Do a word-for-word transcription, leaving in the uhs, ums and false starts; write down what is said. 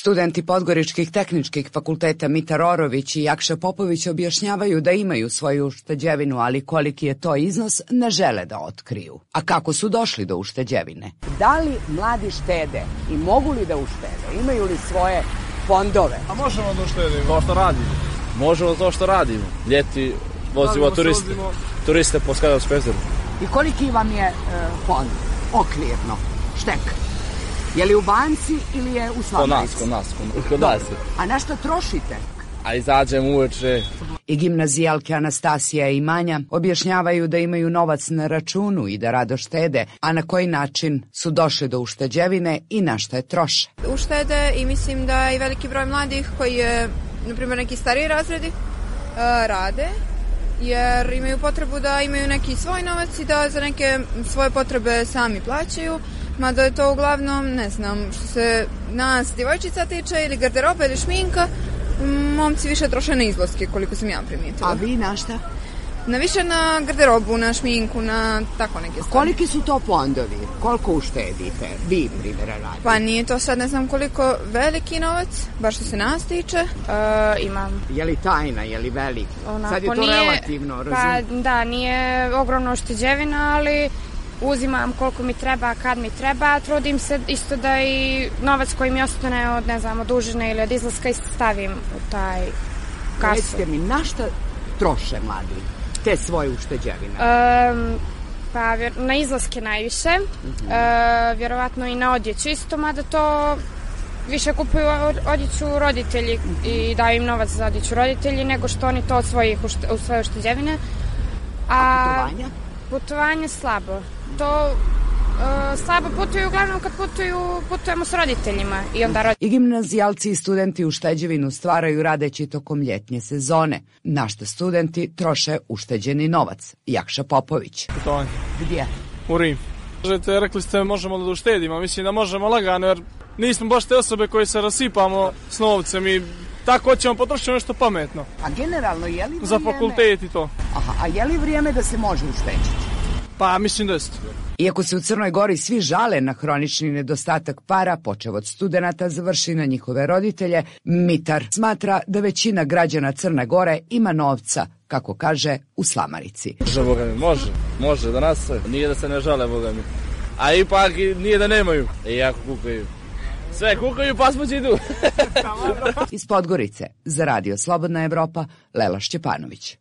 Studenti podgoričkih tehničkih fakulteta Mitar Orović i Jakša Popović objašnjavaju da imaju svoju ušteđevinu, ali koliki je to iznos ne žele da otkriju. A kako su došli do ušteđevine? Da li mladi štede i mogu li da uštede? Imaju li svoje fondove? A možemo da uštedimo. To što radimo. Možemo to što radimo. Ljeti vozimo turiste. Turiste po Skadovskom jezeru. I koliki vam je e, fond? Okvirno. Štek. Je li u banci ili je u Slavarici? Kod nas, kod nas, kod nas. A na što trošite? A izađem uveče. I gimnazijalke Anastasija i Manja objašnjavaju da imaju novac na računu i da rado štede, a na koji način su došli do ušteđevine i na što je troše. Uštede i mislim da i veliki broj mladih koji je, na primjer, neki stariji razredi, rade, jer imaju potrebu da imaju neki svoj novac i da za neke svoje potrebe sami plaćaju. Mada je to uglavnom, ne znam, što se nas djevojčica tiče ili garderoba ili šminka, momci više troše na izlaske, koliko sam ja primijetila. A vi na šta? Na više na garderobu, na šminku, na tako neke stvari. Koliki su to fondovi? Koliko uštedite? Vi, primjera, radite? Pa nije to sad ne znam koliko veliki novac, baš što se nas tiče. Uh, imam. Je li tajna, je li veliko? Onako, sad je to nije, relativno, razum? Pa da, nije ogromno ušteđevina, ali uzimam koliko mi treba, kad mi treba, trudim se isto da i novac koji mi ostane od, ne znam, od užine ili od izlaska stavim u taj kasu. Recite mi, na šta troše mladi te svoje ušteđevine? Um, pa na izlaske najviše, uh-huh. uh, vjerovatno i na odjeću isto, mada to više kupuju odjeću roditelji uh-huh. i daju im novac za odjeću roditelji nego što oni to od svojih ušte, u svoje ušteđevine. A, A putovanja? Putovanje slabo. To uh, slabo putuju, uglavnom kad putuju, putujemo s roditeljima. I, onda rod... I gimnazijalci i studenti ušteđevinu stvaraju radeći tokom ljetnje sezone, na što studenti troše ušteđeni novac. Jakša Popović. Putovanje. Gdje? U Rim. Kažete, rekli ste možemo da uštedimo, mislim da možemo lagano, jer nismo baš te osobe koji se rasipamo s novcem i tako hoćemo potrošiti nešto pametno. A generalno je li vrijeme... Za fakultet i to. Aha, a je li vrijeme da se može ušteđiti? Pa, mislim da jeste. Iako se u Crnoj Gori svi žale na hronični nedostatak para, počev od studenata, završi na njihove roditelje, Mitar smatra da većina građana Crne Gore ima novca, kako kaže, u slamarici. Može, Boga mi, može, može da nas sve. Nije da se ne žale, Boga mi. A ipak nije da nemaju. I jako kukaju. Sve kukaju, pa smo idu. Iz Podgorice, za Radio Slobodna Evropa, Lela Šćepanović.